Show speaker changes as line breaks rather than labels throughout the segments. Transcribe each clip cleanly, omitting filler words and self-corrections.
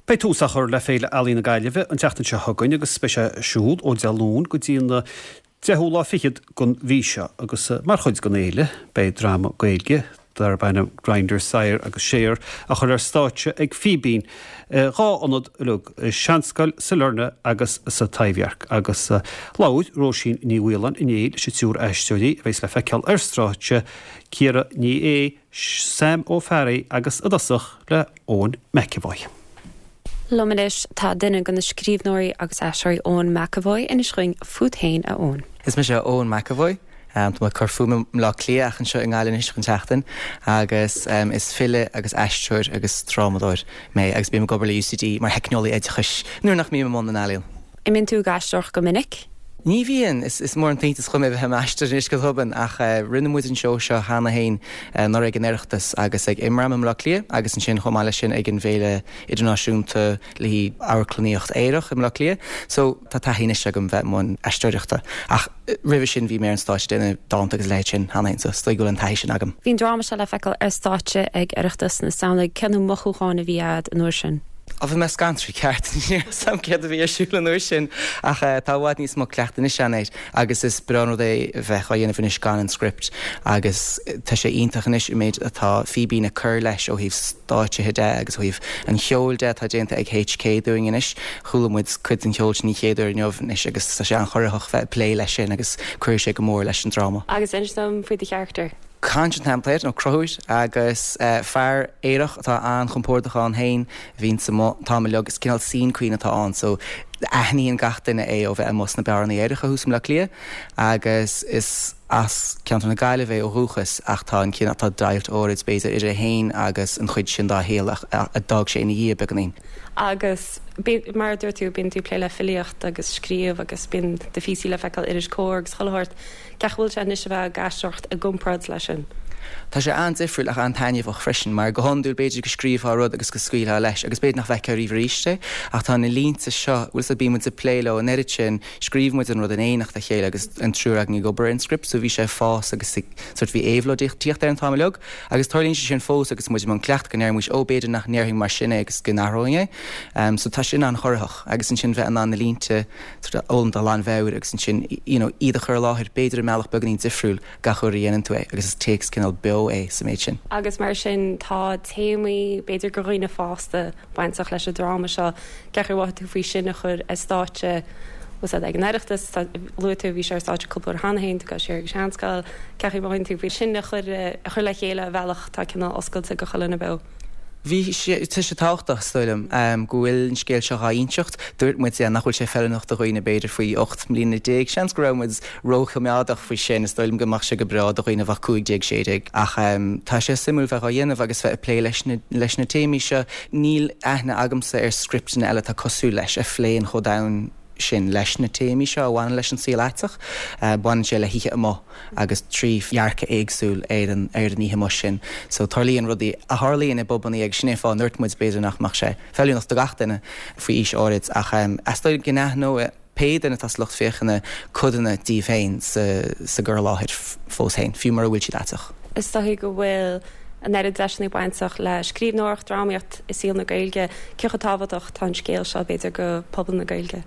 Beidh tús á chur le Féile Ealaíon na Gaillimhe an tseachtain seo chugainn agus beidh sé ar siúl ó Dé Luain go dtí an deichiú lá fichead den mhí seo agus mar chuid den fhéile beidh dráma Gaeilge darb ainm Grindr, Sire agus Share á chur ar stáitse ag Fíbín i dhá ionad uilig, i Seanscoil Sailearna agus sa Taibhdhearc agus labhair Róisín Ní Mhaoláin inné leis an triúr aisteoirí a bheas le feiceáil ar stáitse, Ciara Ní É, Sam Ó Fearraigh agus i dtosach le Eoin McEvoy.
Liom anois tá duine de na scríbhneoirí agus aisteoirí Eoin McEvoy. Inis dhúinn fút féin, a Eoin.
Is mise Eoin McEvoy. Tá mé ag cur fúm i mBleá Cliath ach anseo i nGaillimh anois don tseachtain agus is file agus aisteoir agus drámadóir mé agus bím ag obair le UCD mar theicneolaí oideachais nuair nach mbím i mbun na n-ealaíon.
An mbíonn tú ag aisteoireacht go minic?
Ní bhíonn. Is mór an t-iontas dhom é bheith i m'aisteoir anois go tobann ach rinne muid an seó seo cheana féin anuraidh ag an Oireachtas agus ag Imram i mBleá Cliath agus ansin chomh maith leis sin ag an bhFéile Idirnáisiúnta le haghaidh Amharclannaíocht Aerach i mBleá Cliath. So tá taithí anois agam bheith i mbun aisteoireachta ach roimhe sin bhí mé ar an stáitse ag déanamh dánta agus a leithéid sin cheana féin so is dóigh go bhfuil an taithí sin agam.
Bhí an dráma seo le feiceáil ar stáitse ag Oireachtas na Samhna. Cé na mothúcháin a bhí a'd an uair sin?
Á, bhí mé scanraithe ceart, ní raibh 'fhios a'm céard a bhí ar siúl an uair sin ach tá i bhfad níos mó cleachtaidh anois a'inn air agus is breá an rud é bheith á dhéanamh anois gan an script agus tá sé iontach anois an méid atá Fíbín ag cur leis ó thaobh stáitsithe de agus ó thaobh an cheoil de atá déanta ag HK dúinn anois. Chuala muid cuid den cheol sin an chéad uair inniu anois agus tá sé an-chorraitheach bheith ag plé leis sin agus cuirfidh sé go mór leis an dráma.
Agus inis dom faoi do charachtar.
Conn an t-ainm atá air, nó Conchúr, agus fear aerach atá an-chompordach ann féin a bhíonns amuigh an t-am uilig. Is cineál scene queen atá ann so aithníonn gach duine é ó bheith amuigh sna beáranna aeracha thuas i mBleá Cliath agus is as ceantar na Gaillimhe é ó dhúchas ach tá an cineál, tá deighilt áirid b'fhéidir idir é féin agus an chuid sin dá shaol a d'fhág sé ina dhiaidh beagáinín.
Agus mar a dúirt tú, bíonn tú ag plé le filíocht agus scríobh agus bíonn do phíosaí le feiceáil i iris Comhar agus chuile shórt. Cén chaoi a bhfuil sé anois a bheith ag aisteoireacht i gcomparáid leis sin?
Tá sé an-difriúil ach an-taitneamhach freisin mar go hiondúil b'fhéidir go scríobhfá rud agus go scaoilfeá leis agus b'fhéidir nach bhfeicfeá riamh arís é ach tá na línte seo, bhfuil 'fhios a'd, bíonn muid ag plé leo an oiread sin, scríobh muid an rud in éineacht le chéile agus an triúr againn ag obair ar an script so bhí sé ag fás agus ag sort bhí éabhlóid ag tíocht air an t-am uilig agus tarlaíonn sé sin fós agus muid i mbun cleachtaidh go ndeirimís ó b'fhéidir nach ndéarfainn mar sin é agus go n-athróinn é so tá sin an-chorraitheach agus ansin bheith in ann na línte sort of fhoghlaim de ghlanmheabhair agus ansin you know iad a chur i láthair b'fhéidir i mbealach beagáinín difriúil gach uair a dhéanann tú é agus is téacs cineál beo é sa méid sin.
Agus mar sin tá téamaí b'fhéidir do dhaoine fásta bainteach leis an dráma seo. Cén chaoi a mhothaigh tú faoi sin a chur ar stáitse bhfuil 'fhios a'd ag an Oireachtas, luaigh tú bhí sé ar stáitse cúpla uair cheana féin, tú ag dul siar ag an Seanscoil, cén chaoi a mhothaíonn tú faoi sin a chur a chur le chéile i bhealach atá cineál oscailte do chuile dhuine beo?
Bhí sé, tá sé tábhachtach, is dóigh liom, go bhfuil an scéal seo dhá inseacht. Dúirt muid, yeah, nach bhfuil sé feiliúnach do dhaoine b'fhéidir faoi 18 mbliana. Seans go raibh muid róchoimeádach faoi sin, is dóigh liom go mbeadh sé go breá do dhaoine a bheadh 15, 16. Ach tá sé suimiúil bheith dhá dhéanamh agus bheith ag plé leis na, leis na téamaí seo. Níl aithne agamsa ar scripteanna eile atá cosúil leis, a phléann chomh domhain sin leis na téamaí seo a bhaineann leis an saol aiteach. Baineann sé le hoíche amuigh. agus 3 dhearcadh éagsúil ar an ar an oíche amuigh sin. So tarlaíonn rudaí a tharlaíonn i bpubannaí agus sin é an fáth a ndúirt muid b'fhéidir nach mbeadh sé feiliúnach do gach duine faoi aois áirid ach is dóigh go n-aithneoidh pé duine atá sa lucht féachana codanna díobh féin sa sa gcur i láthair fós féin, fiú mura bhfuil siad aiteach.
Is dóigh go bhfuil an oiread deiseanna bainteach le scríbhneoireacht, drámaíocht i saol na Gaeilge. Cé chomh tábhachtach atá an scéal seo, b'fhéidir, do phobal na Gaeilge?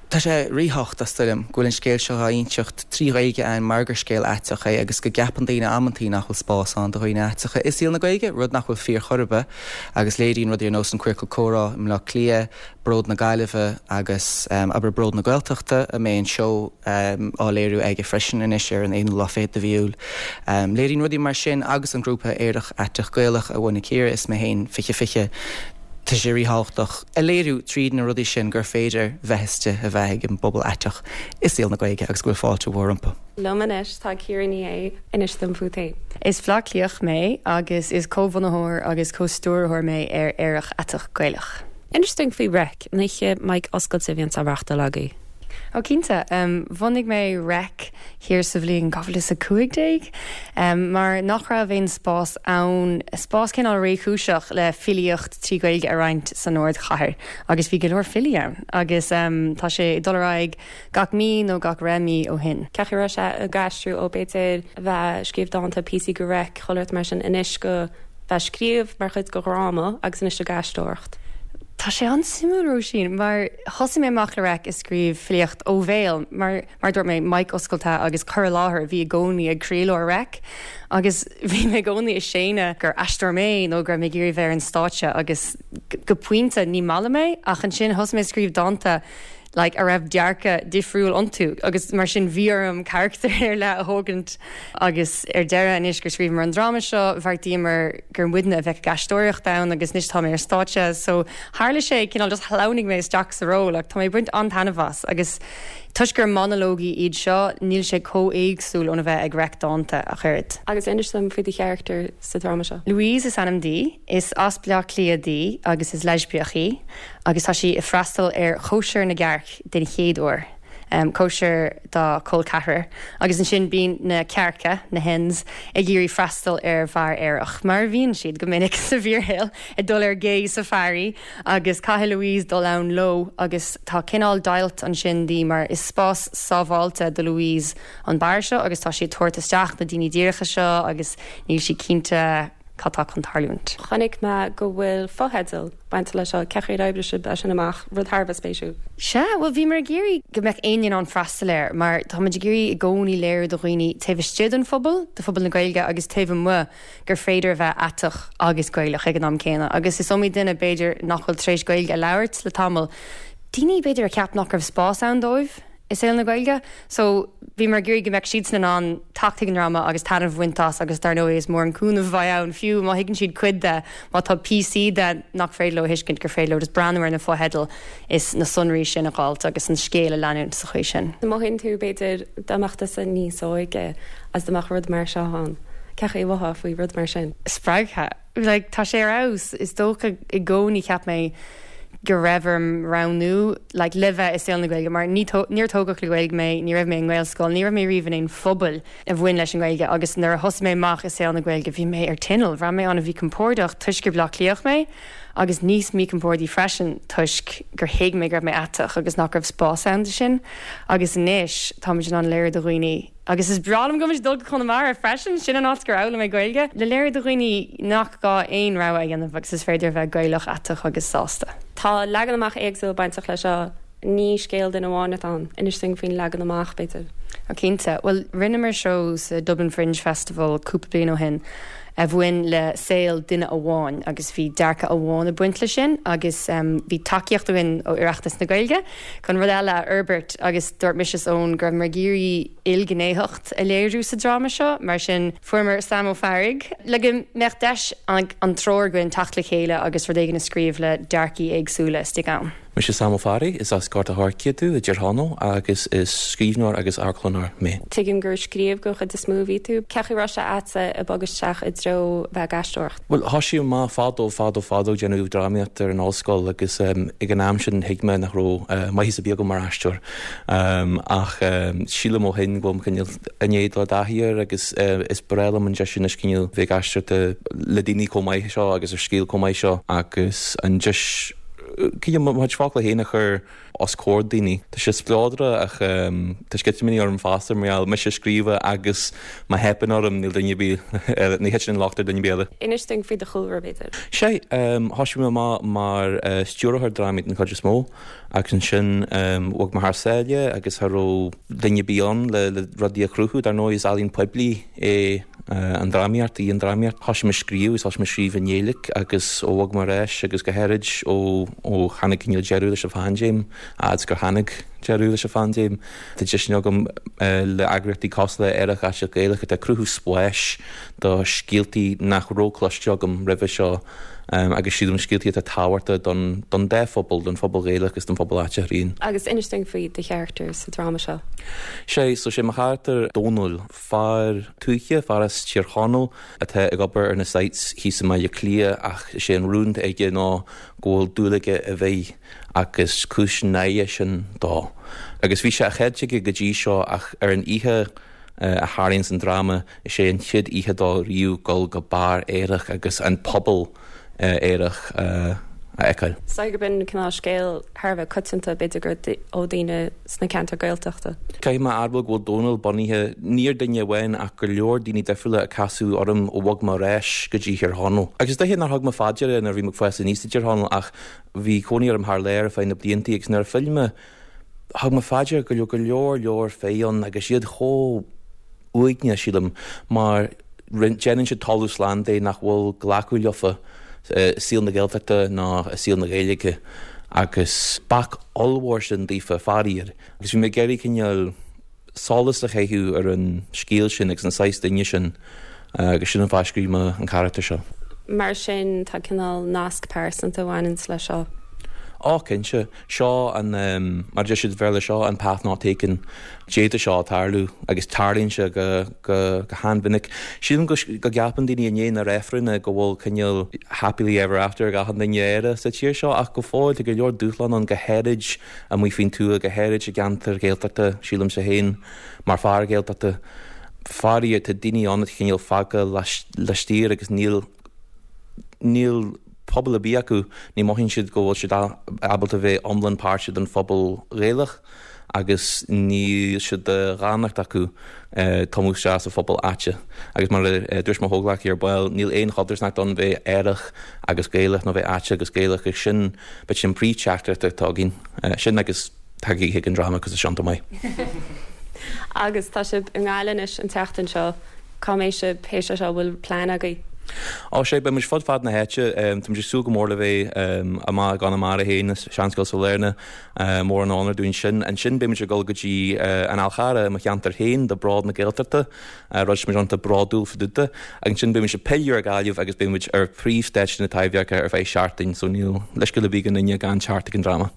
Tá sé ríthábhachtach, is dóigh liom, go bhfuil an scéal seo á inseacht trí Ghaeilge againn mar gur scéal aiteach é agus go gceapann daoine amantaí nach bhfuil spás ann do dhaoine aiteacha i saol na Gaeilge, rud nach bhfuil fíor chor ar bith. Agus léiríonn rudaí ar nós an Queercal Comhrá i mBleá Cliath, Bród na Gaillimhe agus, abair, Bród na Gaeltachta, a mbeidh an seó á léiriú aige freisin anois ar an aonú lá fichead de mhí Iúil. Léiríonn rudaí mar sin agus an grúpa Aerach Aiteach Gaelach a bhunaigh Ciara is mé féin, 20 20, Tá sé ríthábhachtach a léiriú tríd na rudaí sin gur féidir bheith istigh, a bheith ag an bpobal aiteach i saol na Gaeilge agus go bhfuil fáilte mhór rompu.
Liom anois tá Ciara Ní É, inis dom fút féin.
Is Bleá Cliathach mé agus is comhbhunaitheoir agus comhstiúrthóir mé ar Aerach Aiteach Gaelach.
Inis dúinn faoi Reic, an oíche mic oscailte a bhíonns á reachtáil agaibh.
Ó cinnte. Bhunaigh mé Reic thiar sa bhliain 2015 mar nach raibh aon spás ann, spás cineál réchúiseach le filíocht trí Ghaeilge a roinnt san ardchathair agus bhí go leor filí ann agus tá sé ag dul ar aghaidh gach mí nó gach re mí ó shin.
Cén chaoi a raibh sé ag aistriú ó b'fhéidir a bheith ag scríobh dánta, píosaí go Reic, chuile shórt mar sin anois go bheith ag scríobh mar chuid de dhráma agus anois ag aisteoireacht?
Tá sé an-suimiúil, Róisín, mar thosaigh mé amach le Reic ag scríobh filíocht ó bhéal, mar, mar a dúirt mé, mic oscailte agus cur i láthair a bhí i gcónaí ag croílár Reic agus bhí mé i gcónaí ag séanadh gur aisteoir mé nó go raibh mé ag iarraidh bheith ar an stáitse agus go pointe ní maith liom é ach ansin thosaigh mé ag scríobh dánta like a raibh dearcadh difriúil iontu agus mar sin bhí orm carachtar ar leith a thógaint agus ar deireadh anois gur scríobhamar an dráma seo bheartaíomar gur muidne a bheadh ag aisteoireacht ann agus anois tá mé ar stáitse so tharla sé cineál just shleamhnaigh mé isteach sa ról ach tá mé ag baint an-taitneamh as agus toisc gur monalógaí iad seo níl sé chomh éagsúil óna bheith ag reic dánta ach oiread.
Agus inis dom faoi do charachtar sa dráma seo.
Louise is ainm di, is as Bleá Cliath di agus is leispiach í. agus tá sí ag freastal ar chóisir na gcearc den chéad uair, cóisir dá col ceathrar, agus ansin bíonn na cearca, na hens, ag iarraidh freastal ar bheár aerach, mar a bhíonn siad go minic sa bhfíorshaol, ag dul ar gay safari, agus caithfidh Louise dul ann leo, agus tá cineál deighilt ansin di mar is spás sábháilte do Louise an beár seo agus tá sí ag tabhairt isteach na daoine díreacha seo agus níl sí cinnte cad tá chun tarlúint.
Chonaic mé go bhfuil fotheidil bainte leis seo. Cén chaoi ar oibrigh sibh é sin amach? Rud thar a bheith spéisiúil.
Sea, bhuel bhíomar ag iarraidh go mbeadh éinne in ann freastal air mar táimid ag iarraidh i gcónaí léiriú do dhaoine taobh istigh den phobal, de phobal na Gaeilge agus taobh amuigh gur féidir a bheith aiteach agus Gaelach ag an am céanna agus is iomaí duine b'fhéidir nach bhfuil tar éis Gaeilge a labhairt le tamall, daoine b'fhéidir a cheap nach raibh spás ann dóibh. i saol na Gaeilge. So, bhíomar ag iarraidh go mbeadh siadsan in ann teacht chuig an ndráma agus taitneamh a bhaint as agus dar ndóigh is mór an cúnamh a bheidh ann fiú má thuigeann siad cuid de, má tá píosaí de nach féidir leo a thuiscint gur féidir leo just breathnú ar na fotheidil is na sonraí sin a dh'fháilt agus an scéal a leanúint sa chaoi sin.
An mothaíonn tú, b'fhéidir, dá mbeadh tusa níos óige agus dá mbeadh rud mar seo ann, cén chaoi a mhothófá faoi rud mar sin?
Spreagtha. Like, tá sé ar fheabhas. Is dócha i gcónaí cheap mé go raibh orm roghnú like le bheith i saol na Gaeilge mar ní níor tógadh le Gaeilge mé, ní raibh mé i nGaelscoil, ní raibh mé riamh in aon phobal a bhain leis an nGaeilge agus nuair a thosaigh mé amach i saol na Gaeilge bhí mé ar tinneall, bhraith mé an-mhíchompordach toisc gur Bleá Cliathach mé agus níos míchompordaí freisin toisc gur thuig mé go raibh mé aiteach agus nach raibh spás ann do sin agus anois táimid in ann léiriú do dhaoine Agus is breá liom go bhfuil muid ag dul go Conamara freisin, sin an áit gur fhoghlaim mé Gaeilge, le léiriú do dhaoine nach gá aon rogha a dhéanamh agus is féidir a bheith Gaelach, aiteach agus sásta.
Tá leagan amach éagsúil bainteach leis seo, ní scéal duine amháin atá ann. Inis dúinn faoin leagan amach, b'fhéidir.
Ó cinnte. Bhuel, rinneamar seó sa Dublin Fringe Festival cúpla bliain ó shin a bhain le saol duine amháin agus bhí dearcadh amháin ag baint leis sin agus bhí tacaíocht againn ó Oireachtas na Gaeilge chun rud eile a fhorbairt agus dúirt mise is Eoin go rabhamar ag iarraidh ilghnéitheacht a léiriú sa dráma seo, mar sin fuaireamar Sam Ó Fearraigh le go mbeadh deis ag an triúr againn teacht le chéile agus rud éigin a scríobh le dearcaí éagsúla istigh ann.
Mise Sam Ó Fearraigh, is as Gort a' Choirce domh i dTír Chonaill agus is scríbhneoir agus amharclannóir mé.
Tuigim gur ag scríobh den chuid is mó a bhí tú. Cén chaoi a raibh sé a'dsa ag bogadh isteach i dtreo bheith ag aisteoireacht?
Bhuel, thosaigh mé fadó, fadó, fadó ag déanamh drámaíochta ar an ollscoil agus ag an am sin thuig mé nach raibh maitheas ar bith agam mar aisteoir. Ach sílim ó shin go bhfuil mé cineál i ndiaidh dul i dtaithí air agus is breá liom an deis anois cineál bheith ag aisteoireacht le daoine chomh maith seo agus ar scéal chomh maith seo agus an deis cineál mo chuid focla féin a chur os comhair daoine. Tá sé spleodrach ach tá sceitimíní orm fosta mar gheall mise a scríobh é agus má theipeann orm níl duine ar bith eile, ní thiteann an locht ar duine ar bith eile.
Inis dúinn faoi do chúlra, b'fhéidir.
Sea, thosaigh mé amach mar stiúrthóir drámaí den chuid is mó agus ansin bhog mé thar sáile agus cha raibh duine ar bith ann le rudaí a chruthú. Dar ndóigh is ealaín poiblí é an drámaíocht, í an drámaíocht. Thosaigh mé ag scríobh agus thosaigh mé ag scríobh i nGaeilge agus ó bhog mé ar ais agus go háirid ó ó tháinig cineál deireadh leis an phaindéim, fhad is gur tháinig deireadh leis an phaindéim, tá deiseanna agam le eagraíochtaí cosúil le Aerach Aiteach Gaelach atá ag cruthú spáis do scéaltaí nach raibh cloiste agam roimhe seo agus sílim scéaltaí atá tábhachtach don don dá phobal, don phobal Ghaelach agus don phobal aiteach araon.
Agus inis dúinn faoi do charachtar sa dráma seo.
Sea, so sé mo charachtar Dónall. Fear tuaithe, fear as Tír Chonaill atá ag obair ar na sites thíos i mBaile Átha Cliath ach is é an rún atá aige ná go bhfuil dúil aige i bhfir agus cúis náire sin dó. Agus bhí sé á cheilt aige go dtí seo ach ar an oíche a tharlaíonn san dráma is é an chéad oíche dó riamh dul go beár aerach agus an pobal aerach a.
a fheiceáil.
Is dóigh gurb in cineál scéal thar a bheith coitianta, b'fhéidir gur ó daoine sna ceantair Gaeltachta.
Caithfidh mé a admháil go bhfuil Dónal bunaithe ní ar duine amháin ach go leor daoine difriúla a casadh orm ó bhog mé ar ais go dtí Thír Chonaill. Agus is dóiche nár thug mé fá deara nuair a bhí mé ag fás aníos i dTír Chonaill ach bhí cónaí orm thar lear ar feadh na bliantaí agus nuair a phill mé thug mé fá deara go raibh go leor leor fir ann agus iad chomh uaigneach, sílim, mar déanann siad talamh slán de nach bhfuil glacadh leofa i saol na Gaeltachta ná i saol na Gaeilge agus bac ollmhór sin daofa, faraor. Agus bhí mé ag iarraidh cineál solas a chaitheamh ar an scéal sin agus an saghas duine sin agus sin an fáth a scríobh mé an carachtar seo.
Mar sin, tá cineál nasc pearsanta a bhaineanns leis seo.
Ó, cinnte. Seo an, mar a deir siad i Bhéarla, seo an path not taken. D'fhéadfadh seo tarlú agus tarlaíonn sé go, go, go han-mhinic. Sílim go, go gceapann daoine i ndiaidh na reifreanna go bhfuil cineál happily ever after ag achan duine aerach sa tír seo ach go fóill tá go leor dúshlán ann go háirid amuigh faoin tuath, go háirid i gceantair Ghaeltachta, sílimse féin mar fear Gaeltachta. Faraor tá daoine ann atá cineál fágtha laistiar agus níl, níl pobal ar bith acu, ní mothaíonn siad go bhfuil siad ábalta bheith iomlán páirteach den phobal Ghaelach agus níl sé de dhánacht acu tumadh isteach sa phobal áite. Agus mar a dúirt mo chomhghleacaí ar ball, níl aon chodarsnacht ann bheith aerach agus Gaelach nó bheith áite agus Gaelach agus sin, b'fhéidir an príomh-teachtaireacht atá againn. Sin agus. Tagaigí chuig an dráma cos tá sé iontach maith.
Agus tá sibh i nGaillimh anois an tseachtain seo. Cá mbeidh sibh théis é seo? Bhfuil plean agaibh?
Ó sea, beidh muid fud fad na háite. Tá muid ag súil go mór le bheith amach i gConamara féin, i Seanscoil Sailearna. Mór an onóir dúinn sin. Ansin beidh muid ag dul go dtí an Fhál Charrach i mo cheantar féin do Bród na Gaeltachta, rud sin muid iontach bródúil fá dtaobh de. Agus ansin beidh muid ag pilleadh ar Ghaillimh agus beidh muid ar phríomhstáitse na Taibhdheirce ar feadh seachtain, so níl leithscéal ar bith ag aon duine gan teacht ag an dráma.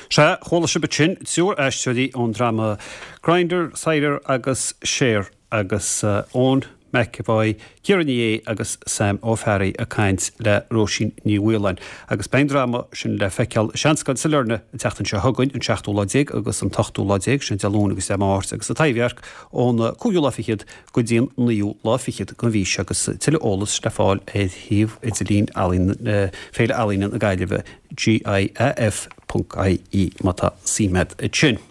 Sea, chuala sibh ansin triúr aisteoirí ón dráma Grindr, Cider agus Share agus Eoin McEvoy, Ciara Ní É agus Sam Ó Fearraigh ag caint le Róisín Ní Mhaoláin. Agus beidh an dráma sin le feiceáil i Seanscoil Sailearna an tseachtain seo chugainn, an seachtú lá déag agus an t-ochtú lá déag, sin Dé Luain agus Dé Máirt, agus sa Taibhdhearc ón cúigiú lá fichead go dtí an naoú lá fichead den mhí seo agus tuilleadh eolais le fáil ar shuíomh idirlín Féile Ealaíne na Gaillimhe. GIAF ponc IE má tá suim agat ansin.